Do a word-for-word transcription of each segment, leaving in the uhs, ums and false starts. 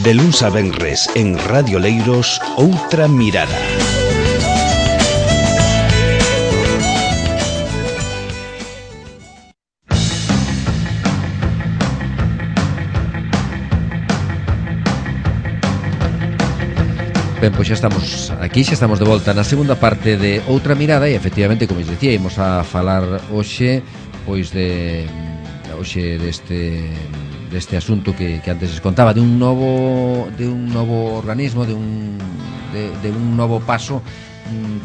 De luns a venres en Radio Leiros, Outra Mirada. Ben, pois xa estamos aquí, xa estamos de volta na segunda parte de Outra Mirada e efectivamente, como dicía, imos a falar hoxe pois de hoxe deste deste asunto que, que antes les contaba, de un novo de un novo organismo, de un de, de un novo paso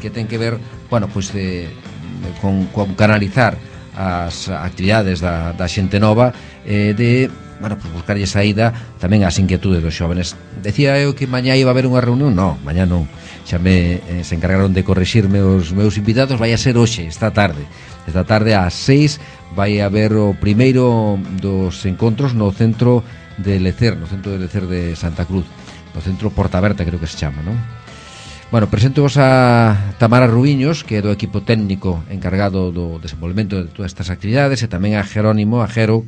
que ten que ver, bueno, pois de, de con, con canalizar as actividades da, da xente nova, eh, de bueno, pues buscarlle saída tamén ás inquietudes dos xóvenes. Decía eu que mañá iba a haber unha reunión, non, mañá non. Xa me eh, se encargaron de corrixirme os meus invitados, vai a ser hoxe, esta tarde. Esta tarde ás seis vai a haber o primeiro dos encontros no centro de Lecer, no centro de Lecer de Santa Cruz, no centro Porta Aberta, creo que se chama, non? Bueno, presento-vos a Tamara Rubiños, que é do equipo técnico encargado do desenvolvemento de todas estas actividades, e tamén a Jerónimo, a Jero,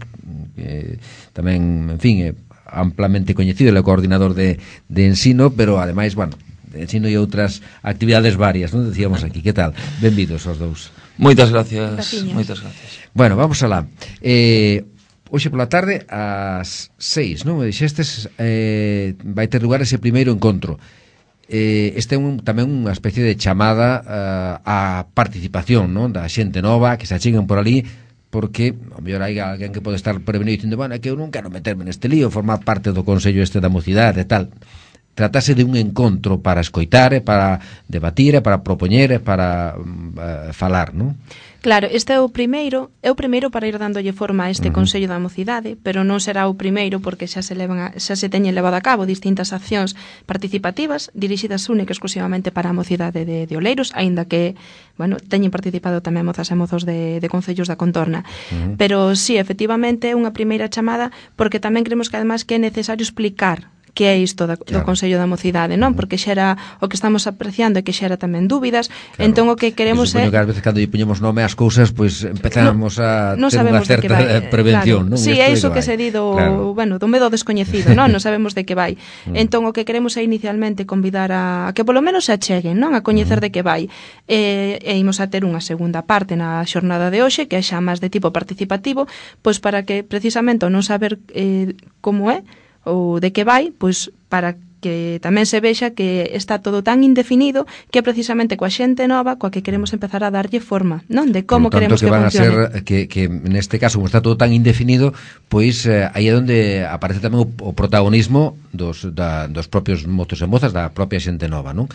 que tamén, en fin, é amplamente coñecido, ele é o coordinador de, de ensino, pero ademais, bueno, de ensino e outras actividades varias, non decíamos aquí. Que tal? Benvidos aos dous. Moitas gracias, moitas gracias. Bueno, vamos alá. Eh, hoxe pola tarde ás seis, non? Me dixestes, eh, vai ter lugar ese primeiro encontro. Eh, este é un, tamén unha especie de chamada uh, á participación, non? Da xente nova que se acheguen por ali, porque ao mellor hai alguén que pode estar prevenido dicindo, bueno, é que eu non quero meterme neste lío, formar parte do Consello este da Mocidade e tal. Tratase de un encontro para escoitar, para debatir, para propoñer, para uh, falar, non? Claro, este é o primeiro, é o primeiro para ir dándolle forma a este uh-huh. Consello da Mocidade, pero non será o primeiro porque xa se levan a, xa se teñen levado a cabo distintas accións participativas dirixidas única exclusivamente para a mocidade de, de Oleiros, aínda que, bueno, teñen participado tamén mozas e mozos de, de concellos da contorna. Uh-huh. Pero sí, efectivamente é unha primeira chamada porque tamén creemos que además que é necesario explicar que é isto da, claro. do Consello da Mocidade, non? Porque xera o que estamos apreciando e que xera tamén dúbidas, claro. Entón o que queremos é... que ás veces cando lle poñemos nome ás cousas, pois empezamos no, a no ter unha certa prevención, claro. non? Si, sí, é iso que, que se di do, claro. bueno, do medo descoñecido, non? Non sabemos de que vai. Entón o que queremos é inicialmente convidar a, a que polo menos se acheguen, non? A coñecer de que vai. E, e imos a ter unha segunda parte na xornada de hoxe, que é xa máis de tipo participativo, pois para que precisamente non saber eh, como é ou de que vai, pois para que tamén se vexa que está todo tan indefinido que é precisamente coa xente nova coa que queremos empezar a darlle forma, non? De como tanto, queremos que, que van funcione. A ser, que, que neste caso, como está todo tan indefinido, pois eh, aí é onde aparece tamén o, o protagonismo dos, da, dos propios mozos e mozas, da propia xente nova, non?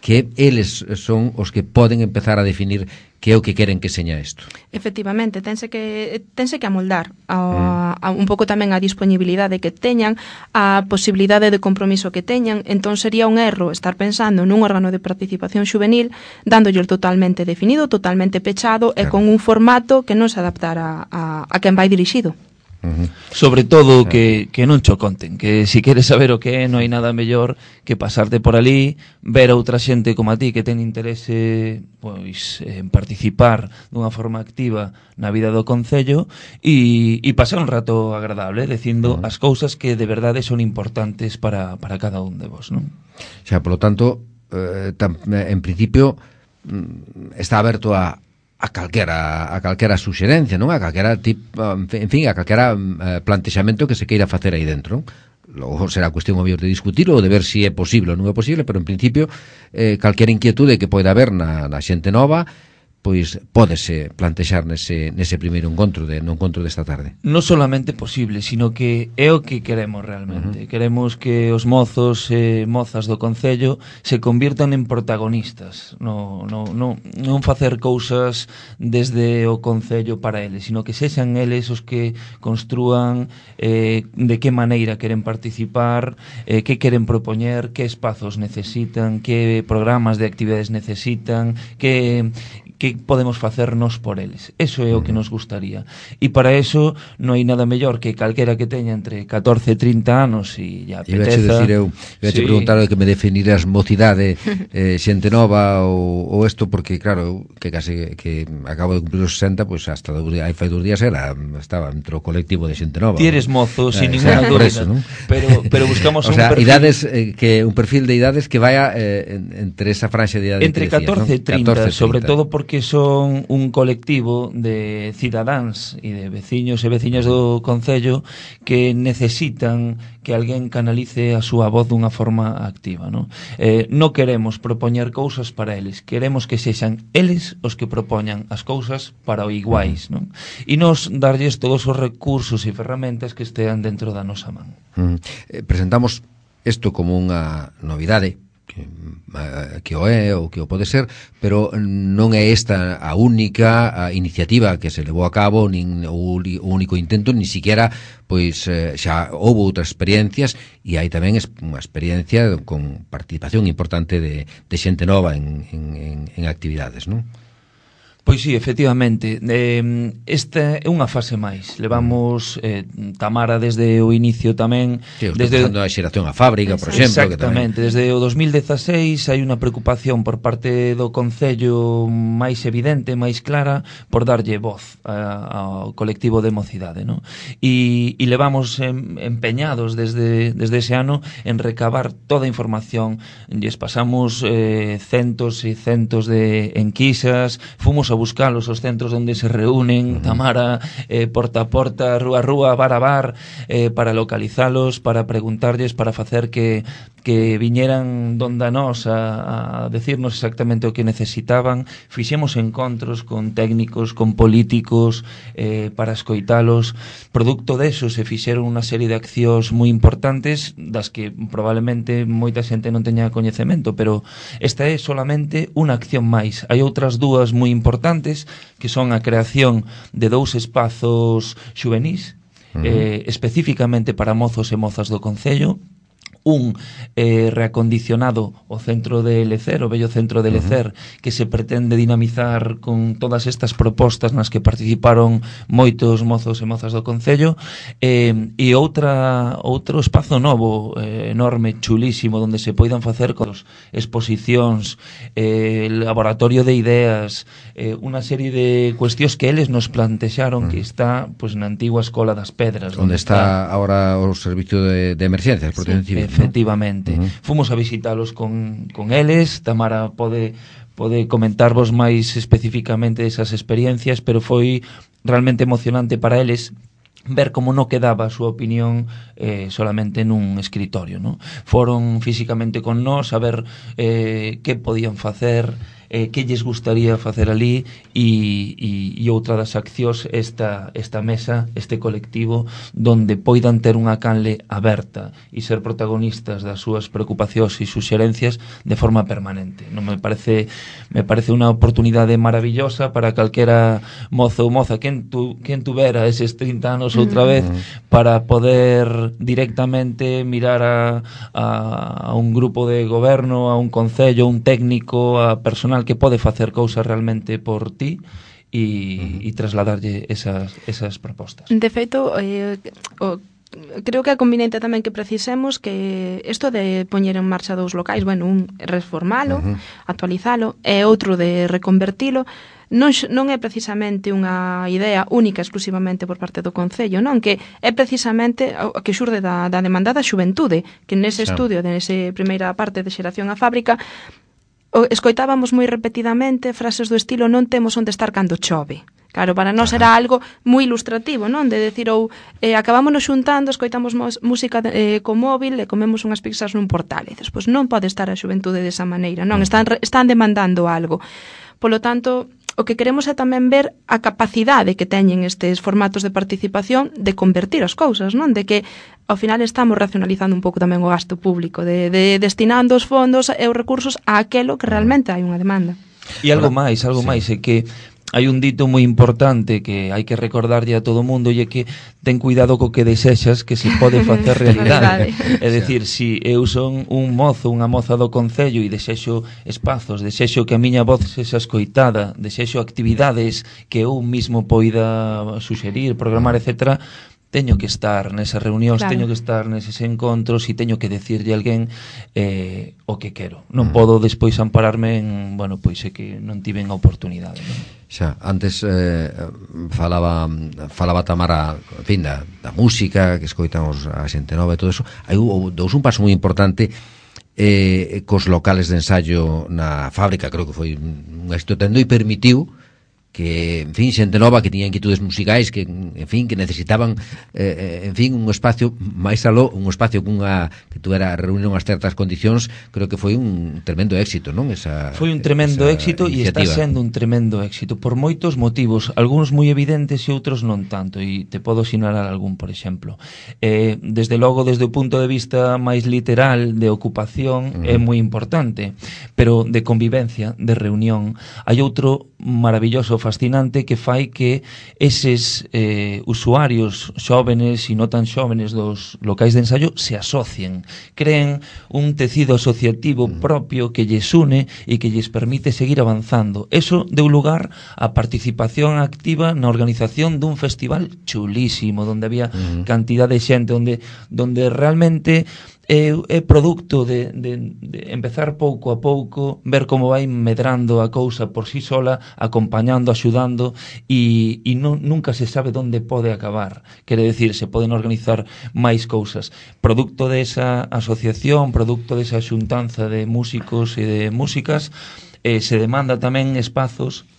Que eles son os que poden empezar a definir que é o que queren que seña isto. Efectivamente, tense que tense que amoldar a, a un pouco tamén a disponibilidade que teñan, a posibilidade de compromiso que teñan. Entón sería un erro estar pensando nun órgano de participación xuvenil dándolle totalmente definido, totalmente pechado, claro. E con un formato que non se adaptara a, a quen vai dirixido. Uh-huh. Sobre todo que, que non cho conten, que si queres saber o que é, non hai nada mellor que pasarte por ali, ver a outra xente como a ti que ten interese pois en participar dunha forma activa na vida do concello e, e pasar un rato agradable dicindo uh-huh. as cousas que de verdade son importantes para, para cada un de vos, non? Xa, polo tanto, eh, tam, en principio está aberto a a calquera a calquera suxerencia, non? A calquera tipo, en fin, a calquera eh, plantexamento que se queira facer aí dentro. Logo será cuestión obvio de discutir ou de ver se si é posible ou non é posible, pero en principio eh, calquera inquietude que poida haber na, na xente nova, pois pódese plantexar nese, nese primeiro encontro de, no encontro desta tarde. Non solamente posible, sino que é o que queremos realmente. Uh-huh. Queremos que os mozos e mozas do Concello se convirtan en protagonistas, no, no, no, non facer cousas desde o Concello para eles, sino que sexan eles os que construan eh, de que maneira queren participar, eh, que queren propoñer, que espazos necesitan, que programas de actividades necesitan, que... que que podemos facernos por eles. Eso é o que nos gustaría. E para eso non hai nada mellor que calquera que teña entre catorce e trinta anos e ya apeteza. E vexe decir eu, vexe sí. preguntar que me definiras mocidade, eh, xente nova ou, ou isto, porque claro, que case que acabo de cumplir os sesenta, pois pues, hasta hai fai dos días era, estaba entre o colectivo de xente nova. Ti eres mozo, eh, sin ninguna sea, dúbida, eso, ¿no? pero, pero buscamos o un sea, perfil... idades, eh, que un perfil de idades que vaya eh, en, entre esa franxa de idade entre que decías, catorce e trinta, ¿no? sobre todo porque son un colectivo de cidadáns e de veciños e veciñas do concello que necesitan que alguén canalice a súa voz dunha forma activa, non? Eh, non queremos propoñer cousas para eles, queremos que sexan eles os que propoñan as cousas para o iguais, non? E nos darlles todos os recursos e ferramentas que estean dentro da nosa man. Mm. Eh, presentamos isto como unha novidade, que, que o é ou que o pode ser, pero non é esta a única a iniciativa que se levou a cabo, nin o, o único intento, ni siquiera pois eh, xa houve outras experiencias, e hai tamén unha experiencia con participación importante de, de xente nova en, en, en actividades, non? Pois sí, efectivamente, eh, esta é unha fase máis. Levamos eh, Tamara desde o inicio tamén. Sí, desde a xeración a fábrica, por exemplo. Exactamente, que tamén... desde o dos mil dezaseis hai unha preocupación por parte do Concello máis evidente, máis clara, por darlle voz a, ao colectivo de mocidade, non? E, e levamos em, empeñados desde, desde ese ano en recabar toda a información. Lles pasamos eh, centos e centos de enquisas, fomos a buscalos os centros onde se reúnen, uh-huh. Tamara, eh, porta a porta, rúa a rúa, bar a bar, eh, para localizalos, para preguntarlles, para facer que, que viñeran donde a nós a, a decirnos exactamente o que necesitaban. Fixemos encontros con técnicos, con políticos, eh, para escoitalos. Producto deso se fixeron unha serie de accións moi importantes, das que probablemente moita xente non teña coñecemento, pero esta é solamente unha acción máis. Hai outras dúas moi importantes, que son a creación de dous espazos xuvenís, uh-huh. eh, especificamente para mozos e mozas do Concello. Un eh, reacondicionado o centro de Lecer, o bello centro de Lecer, uh-huh. que se pretende dinamizar con todas estas propostas nas que participaron moitos mozos e mozas do Concello, eh, e outra outro espazo novo, eh, enorme, chulísimo, onde se poidan facer cos exposicións, eh, laboratorio de ideas, eh, unha serie de cuestións que eles nos plantexaron, uh-huh. que está pues, na antigua Escola das Pedras, onde está, está agora o servicio de, de emerxencias, protección civil. Efectivamente. Uh-huh. Fomos a visitalos con, con eles. Tamara pode, pode comentarvos máis especificamente esas experiencias, pero foi realmente emocionante para eles ver como non quedaba a súa opinión eh, solamente nun escritorio, ¿no? Foron físicamente con nós a ver eh, que podían facer, eh, que lles gustaría facer ali, e, e, e outra das accións esta, esta mesa, este colectivo, donde poidan ter unha canle aberta e ser protagonistas das súas preocupacións e suxerencias de forma permanente. Non me parece me parece unha oportunidade maravillosa para calquera mozo ou moza quen, tu, quen tuvera eses trinta anos outra vez, mm. para poder directamente mirar a, a, a un grupo de goberno, a un concello, un técnico, a personal que pode facer cousas realmente por ti e, uh-huh. e trasladarlle esas, esas propostas. De feito, eh, o creo que é conveniente tamén que precisemos que isto de poñer en marcha dous locais, bueno, un reformalo, uh-huh. actualizalo, e outro de reconvertilo, non, non é precisamente unha idea única exclusivamente por parte do Concello, non, que é precisamente o que xurde da, da demanda da xuventude, que nese claro. estudio, nese primeira parte de xeración a fábrica, escoitábamos moi repetidamente frases do estilo non temos onde estar cando chove. Claro, para nós era algo moi ilustrativo, non? De decir, ou eh, acabámonos xuntando, escoitamos música eh, co móvil e comemos unhas pizzas nun portal. E dices, pois non pode estar a xuventude desa maneira, non? Están, están demandando algo. Polo tanto, o que queremos é tamén ver a capacidade que teñen estes formatos de participación de convertir as cousas, non? De que, ao final, estamos racionalizando un pouco tamén o gasto público, de, de destinando os fondos e os recursos a aquelo que realmente hai unha demanda. E algo máis, algo sí. máis, é que hai un dito moi importante que hai que recordarlle a todo o mundo, e é que ten cuidado co que desexas, que se pode facer realidade. É dicir, si eu son un mozo, unha moza do concello e desexo espazos, desexo que a miña voz sexa escoitada, desexo actividades que eu mismo poida suxerir, programar, etcétera, teño que estar nesas reunións, claro. Teño que estar neses encontros e teño que decirlle a alguén eh, o que quero. Non mm. podo despois ampararme en, bueno, pois é que non tiven a oportunidade, non? Xa, antes eh, falaba falaba Tamara, en fin, da, da música que escoitamos a xente nova e todo eso. Hai dous un paso moi importante eh, cos locales de ensayo na fábrica, creo que foi un éxito tendo e permitiu que, en fin, xente nova que tiña inquietudes musicais, que, en fin, que necesitaban eh, en fin, un espacio máis aló, un espacio cunha que tuvera reunión as certas condicións, creo que foi un tremendo éxito, non? Esa, foi un tremendo éxito e está sendo un tremendo éxito por moitos motivos, algúns moi evidentes e outros non tanto, e te podo sinalar algún, por exemplo. Eh, desde logo, desde o punto de vista máis literal de ocupación, uh -huh. é moi importante, pero de convivencia, de reunión, hai outro maravilloso, fascinante, que fai que eses eh, usuarios xóvenes e non tan xóvenes dos locais de ensayo se asocien, creen un tecido asociativo propio que lles une e que lles permite seguir avanzando. Eso deu lugar á participación activa na organización dun festival chulísimo, onde había uh-huh. cantidad de xente, onde, onde realmente é, é producto de, de, de empezar pouco a pouco, ver como vai medrando a cousa por sí sola, acompañando, axudando, e, e non, nunca se sabe onde pode acabar. Quere decir, se poden organizar máis cousas. Producto desa asociación, producto desa xuntanza de músicos e de músicas, eh, se demanda tamén espazos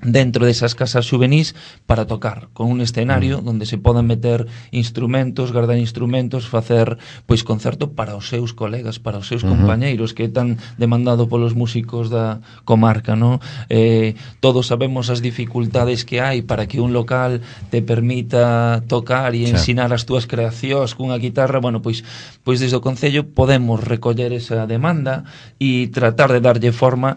dentro desas casas xuvenís para tocar, con un escenario mm. onde se poden meter instrumentos, guardar instrumentos, facer pois concerto para os seus colegas, para os seus uh -huh. compañeiros, que é tan demandado polos músicos da comarca, ¿no? Eh, todos sabemos as dificultades que hai para que un local te permita tocar e ensinar as túas creacións cunha guitarra. Bueno, pois pois desde o Concello podemos recoller esa demanda e tratar de darlle forma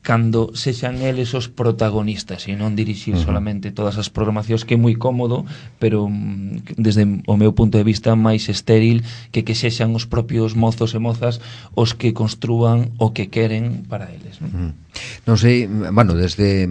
cando sexan eles os protagonistas e non dirixir uh -huh. solamente todas as programacións, que é moi cómodo, pero desde o meu punto de vista máis estéril que que sexan os propios mozos e mozas os que construan o que queren para eles, non? Uh -huh. Non sei, bueno, desde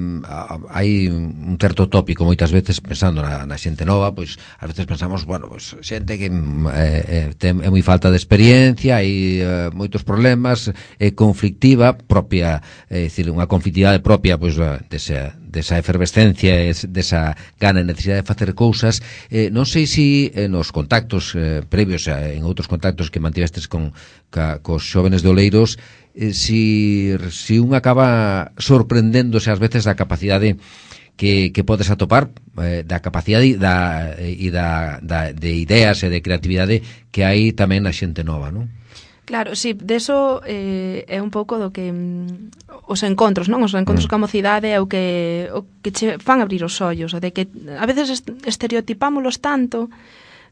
hai un certo tópico moitas veces pensando na, na xente nova, pois ás veces pensamos, bueno, pois xente que eh, ten, é moi falta de experiencia, hai eh, moitos problemas, é conflictiva propia, é dicir, unha conflictividade propia pois desa, desa efervescencia, desa gana e necesidade de facer cousas. Eh, non sei se eh, nos contactos eh, previos, eh, en outros contactos que mantivestes con ca, cos xóvenes de Oleiros, eh, si, si un acaba sorprendéndose ás veces da capacidade que, que podes atopar, eh, da capacidade da, e da, da, de ideas e de creatividade que hai tamén na xente nova, non? Claro, sí, deso eh, é un pouco do que mm, os encontros, non? Os encontros mm. coa mocidade é o que o que che fan abrir os ollos, o de que a veces estereotipámolos tanto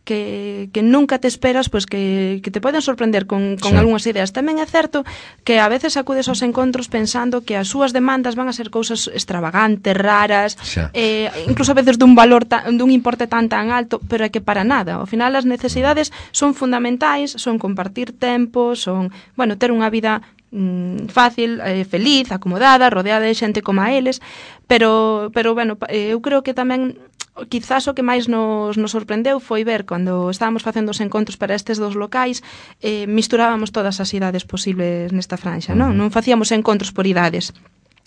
que, que nunca te esperas, pois que, que te poden sorprender con, con sí. algunhas ideas. Tamén é certo que a veces acudes aos encontros pensando que as súas demandas van a ser cousas extravagantes, raras, sí. eh, incluso a veces dun valor ta, dun importe tan tan alto, pero é que para nada. Ao final as necesidades son fundamentais, son compartir tempo, son, bueno, ter unha vida mm, fácil, eh, feliz, acomodada, rodeada de xente como a eles, pero, pero bueno, eu creo que tamén quizás o que máis nos, nos sorprendeu foi ver cando estábamos facendo os encontros para estes dos locais, eh, misturábamos todas as idades posibles nesta franxa, non? Non facíamos encontros por idades.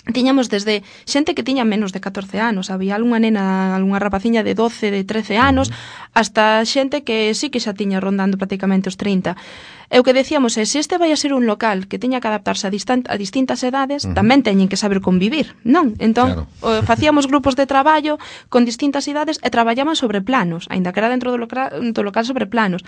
Tiñamos desde xente que tiña menos de catorce anos, había algunha nena, algunha rapaciña de doce, de trece anos, hasta xente que sí que xa tiña rondando prácticamente os trinta. E o que decíamos é, se este vai a ser un local que teña que adaptarse a, distant, a distintas edades, uh -huh. tamén teñen que saber convivir, non? Entón, claro. facíamos grupos de traballo con distintas idades e traballaban sobre planos, aínda que era dentro do local, do local sobre planos.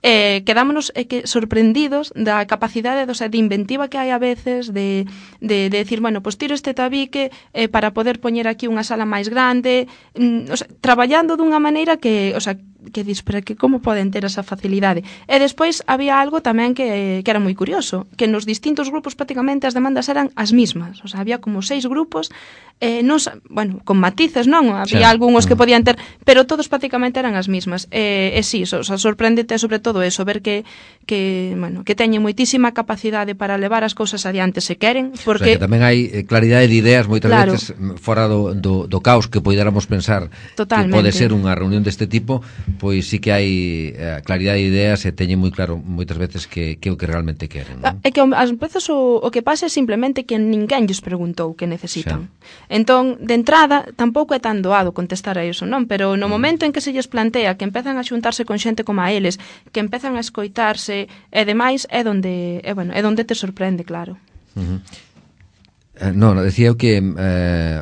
Eh, quedámonos eh, que sorprendidos da capacidade, o sea, de inventiva que hai a veces de, de, de decir, bueno, pues tiro este tabique eh, para poder poñer aquí unha sala máis grande, mm, o sea, traballando dunha maneira que, o sea, que dis, pero que como poden ter esa facilidade? E despois había algo tamén que, que era moi curioso, que nos distintos grupos prácticamente as demandas eran as mismas, o sea, había como seis grupos, eh, non, bueno, con matices, non? Había sí. algúns que podían ter, pero todos prácticamente eran as mismas. E, e sí, o sea, sorpréndete sobre todo eso, ver que, que, bueno, que teñen moitísima capacidade para levar as cousas adiante se queren, porque... O sea, que tamén hai claridade de ideas moitas claro. veces fora do, do, do caos que poidéramos pensar Totalmente. que pode ser unha reunión deste tipo, pois sí que hai eh, claridade de ideas e teñen moi claro moitas veces que, que é o que realmente queren, non? É que ás veces o, o que pasa é simplemente que ninguén lles preguntou que necesitan. Xa. Entón, de entrada, tampouco é tan doado contestar a iso, non? Pero no momento en que se lles plantea que empezan a xuntarse con xente como a eles, que empezan a escoitarse e demais, é donde, é, bueno, é donde te sorprende, claro. Uh-huh. Eh, non, decía eu que eh,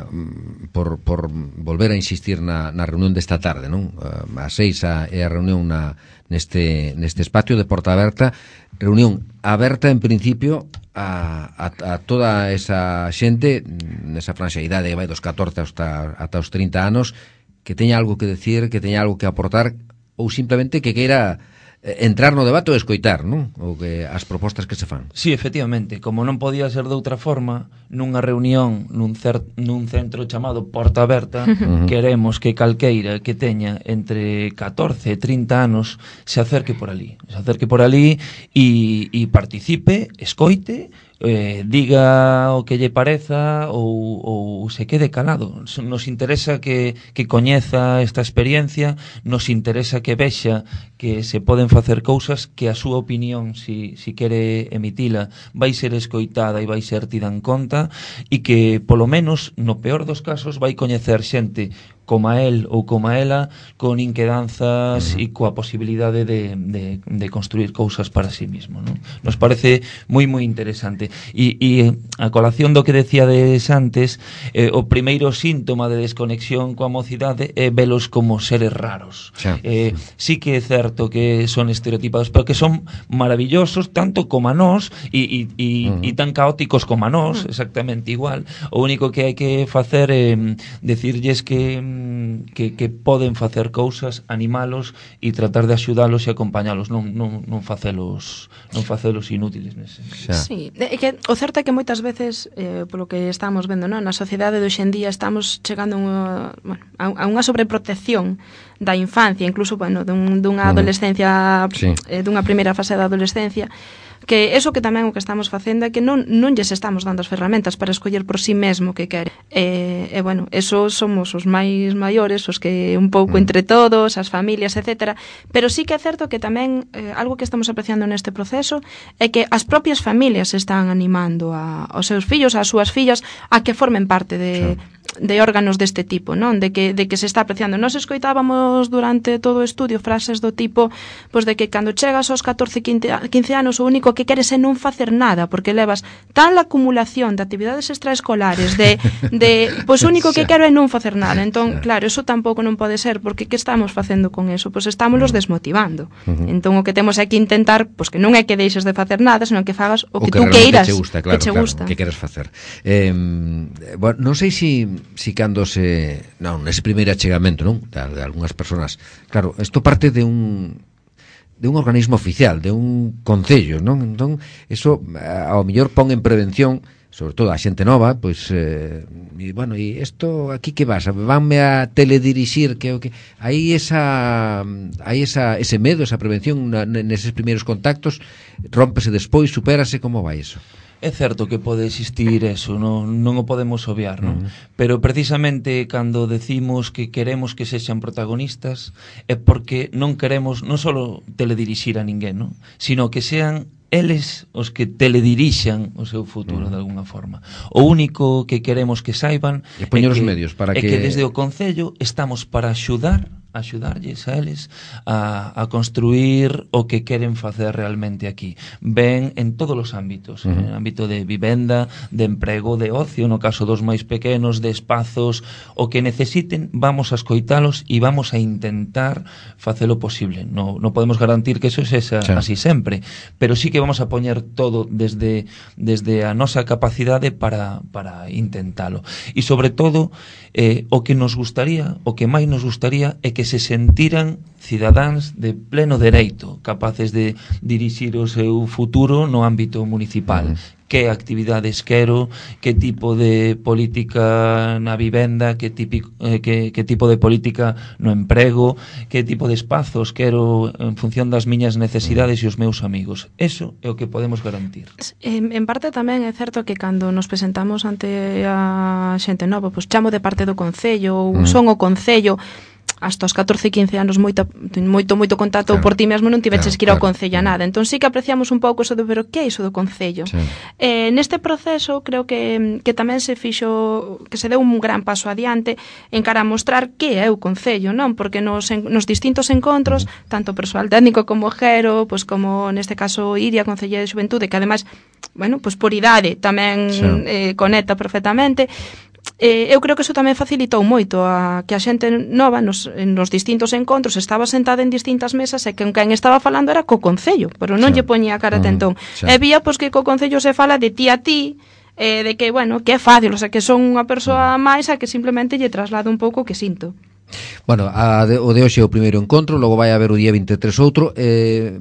por, por volver a insistir na, na reunión desta tarde, non? Uh, a seis a, é a reunión na, neste, neste espacio de porta aberta, reunión aberta en principio a, a, a toda esa xente nesa franxa de idade vai dos catorce hasta, hasta os trinta anos que teña algo que decir, que teña algo que aportar ou simplemente que queira entrar no debate ou escoitar, non? O que as propostas que se fan. Sí, efectivamente, como non podía ser de outra forma, nunha reunión nun, cer nun centro chamado Porta Aberta, uh-huh. queremos que calqueira que teña entre catorce e trinta anos se acerque por ali, se acerque por ali e, e participe, escoite, eh, diga o que lle pareza ou, ou se quede calado. Nos interesa que, que coñeza esta experiencia, nos interesa que vexa que se poden facer cousas que a súa opinión, si, si quere emitila, vai ser escoitada e vai ser tida en conta e que, polo menos, no peor dos casos, vai coñecer xente como a él ou como a ela con inquedanzas e coa posibilidade de, de, de construir cousas para sí mismo, non? Nos parece moi moi interesante e, e a colación do que decíades antes, eh, o primeiro síntoma de desconexión coa mocidade é velos como seres raros. Sí. Eh, sí que é certo que son estereotipados, pero que son maravillosos tanto como a nós e, e, e, uh -huh. e tan caóticos como a nós, exactamente igual. O único que hai que facer é eh, decirlles que Que, que poden facer cousas, animalos e tratar de axudalos e acompañalos, non, non, non facelos non facelos inútiles nese. Sí, é que o certo é que moitas veces eh, polo que estamos vendo, non, na sociedade de hoxendía estamos chegando a unha, bueno, a unha sobreprotección da infancia, incluso, bueno, dun, dunha adolescencia, sí. eh, dunha primeira fase da adolescencia, que eso que tamén o que estamos facendo é que non, non lles estamos dando as ferramentas para escoller por si sí mesmo que quere. E, e bueno, eso somos os máis maiores, os que un pouco entre todos, as familias, etcétera. Pero sí que é certo que tamén eh, algo que estamos apreciando neste proceso é que as propias familias están animando a, aos seus fillos, ás súas fillas, a que formen parte de... Sí. de órganos deste tipo, non? De que, de que se está apreciando. Nos escoitábamos durante todo o estudio frases do tipo, pois de que cando chegas aos catorce, quince anos o único que queres é non facer nada, porque levas tal acumulación de actividades extraescolares, de, de pois o único que quero é non facer nada. Entón, claro, eso tampouco non pode ser, porque que estamos facendo con eso? Pois estámoslos desmotivando. Entón, o que temos é que intentar, pois que non é que deixes de facer nada, senón que fagas o que, o que tú queiras, que gusta, claro, que che claro, gusta. Que queres facer. Eh, bueno, non sei se si cando se... Non, nese primeiro achegamento, non? De, de algunhas persoas. Claro, isto parte de un de un organismo oficial, de un concello, non? Entón, eso ao mellor pon en prevención, sobre todo a xente nova, pois eh, e bueno, e isto aquí que vas? Vanme a teledirixir que o que aí esa aí esa ese medo, esa prevención na, neses primeiros contactos, rómpese despois, supérase, como vai eso? É certo que pode existir eso, non, non o podemos obviar, non? Uh -huh. Pero precisamente cando decimos que queremos que sexan protagonistas é porque non queremos non só teledirixir a ninguén, non? Sino que sean eles os que teledirixan o seu futuro, uh -huh. de alguna forma. O único que queremos que saiban é que, os medios para é que... que desde o Concello estamos para axudar axudarlles a eles a, a construir o que queren facer realmente aquí. Ven en todos os ámbitos, uh -huh. en el ámbito de vivenda, de emprego, de ocio, no caso dos máis pequenos, de espazos, o que necesiten, vamos a escoitalos e vamos a intentar facelo posible. No, no podemos garantir que eso é esa, sí. así sempre, pero sí que vamos a poñer todo desde, desde a nosa capacidade para, para intentalo. E sobre todo, eh, o que nos gustaría, o que máis nos gustaría é que se sentiran cidadáns de pleno dereito, capaces de dirixir o seu futuro no ámbito municipal. Mm. Que actividades quero, que tipo de política na vivenda, que, típico, eh, que, que tipo de política no emprego, que tipo de espazos quero en función das miñas necesidades e os meus amigos. Eso é o que podemos garantir. En, en parte tamén é certo que cando nos presentamos ante a xente nova, pois chamo de parte do Concello, ou mm. son o Concello, hasta os catorce, quince anos moito moito moito contacto, claro, por ti mesmo non tiveches claro, que ir ao claro, Concello a nada. Entón sí que apreciamos un pouco eso de, pero que é iso do Concello? Sí. Eh, neste proceso creo que, que tamén se fixo, que se deu un gran paso adiante en cara a mostrar que é o Concello, non? Porque nos, en, nos distintos encontros, uh-huh, tanto persoal técnico como Jero, pues como neste caso Iria, Concelleira de Xuventude, que ademais, bueno, pues por idade tamén sí. eh, conecta perfectamente. Eh, eu creo que iso tamén facilitou moito a que a xente nova nos, nos distintos encontros estaba sentada en distintas mesas e que quen estaba falando era co Concello, pero non sí. lle poñía a cara tentón. Sí. E vía pois que co Concello se fala de ti a ti, eh, de que, bueno, que é fácil, o sea, que son unha persoa máis a que simplemente lle traslado un pouco o que sinto. Bueno, a de, o de hoxe é o primeiro encontro, logo vai haber o día vinte e tres outro. eh,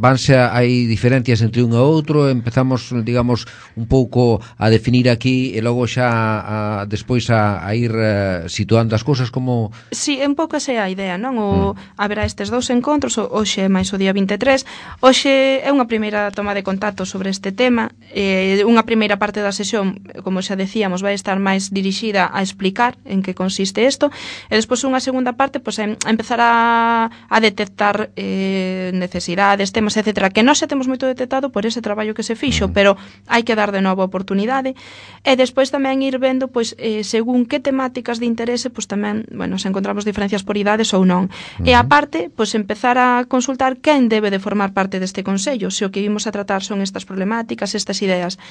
vanse a, hai diferencias entre un e outro, empezamos, digamos, un pouco a definir aquí e logo xa a, despois a, a ir uh, situando as cousas como... Si, sí, un pouco esa é a idea, non? O, mm. haberá estes dous encontros, hoxe máis o día vinte e tres. Hoxe é unha primeira toma de contacto sobre este tema, eh, unha primeira parte da sesión, como xa decíamos, vai estar máis dirixida a explicar en que consiste isto, e despois unha segunda parte, pois, a empezar a, a detectar eh, necesidades, temas, etcétera, que non xa temos moito detectado por ese traballo que se fixo, mm. pero hai que dar de novo a oportunidade, e despois tamén ir vendo, pois, eh, según que temáticas de interese, pois tamén, bueno, se encontramos diferencias por idades ou non. Mm. E aparte, pois, empezar a consultar quen debe de formar parte deste Consello, se o que vimos a tratar son estas problemáticas, estas ideas.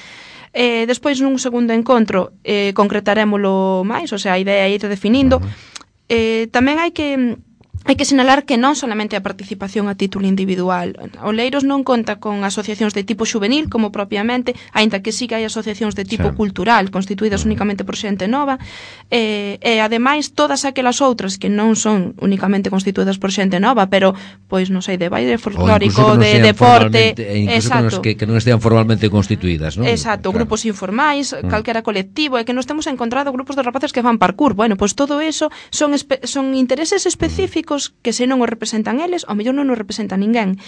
Eh, despois, nun segundo encontro, eh, concretarémolo máis, o sea, a idea é ir definindo. Mm. Eh, tamén hai que hai que sinalar que non solamente a participación a título individual. Oleiros non conta con asociacións de tipo juvenil, como propiamente, aínda que sí que hai asociacións de tipo sí. cultural, constituídas únicamente por xente nova, e, e ademais todas aquelas outras que non son únicamente constituídas por xente nova, pero, pois, non sei, de baile folclórico, de deporte, exacto, que, que non estean formalmente constituídas, non? Exacto, claro. Grupos informais, mm. calquera colectivo, e que nos temos encontrado grupos de rapaces que fan parkour. Bueno, pois todo eso son, espe- son intereses específicos que se non o representan eles, ao mellor non o representa ninguén.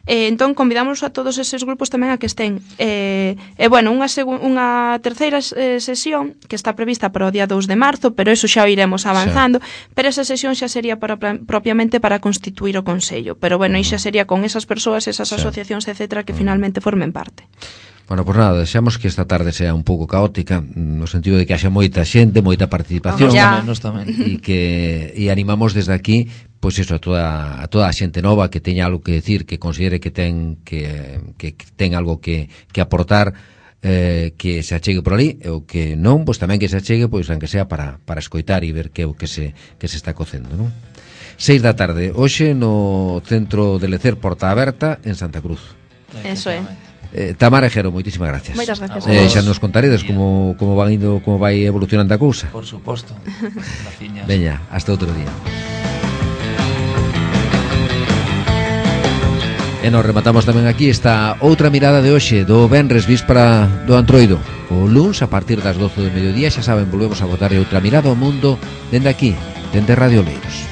Eh, entón, convidamos a todos eses grupos tamén a que estén. E, eh, eh, bueno, unha, segu- unha terceira eh, sesión que está prevista para o día dous de marzo, pero eso xa o iremos avanzando, sí. pero esa sesión xa sería para, propiamente para constituir o Consello. Pero, bueno, aí xa sería con esas persoas, esas sí. asociacións, etcétera, que finalmente formen parte. Bueno, pois nada, desexamos que esta tarde sea un pouco caótica, no sentido de que haxa moita xente, moita participación, nos tamén, e que e animamos desde aquí, pois eso, a toda a toda a xente nova que teña algo que decir, que considere que ten que que ten algo que que aportar, eh, que se achegue por ali, ou que non, pois tamén que se achegue, pois aunque sea para para escoitar e ver que o que se que se está cocendo, non? seis da tarde, hoxe no Centro de Lecer Porta Aberta en Santa Cruz. Eso é. Eh, Tamara e Jero, moitísimas gracias. Moitas gracias. Eh, xa nos contaredes como, como van indo, como vai evolucionando a cousa. Por suposto. Veña, hasta outro día. E nos rematamos tamén aquí esta outra mirada de hoxe do venres víspera do Antroido. O luns a partir das doce do mediodía, xa saben, volvemos a botar outra mirada ao mundo dende aquí, dende Radio Oleiros.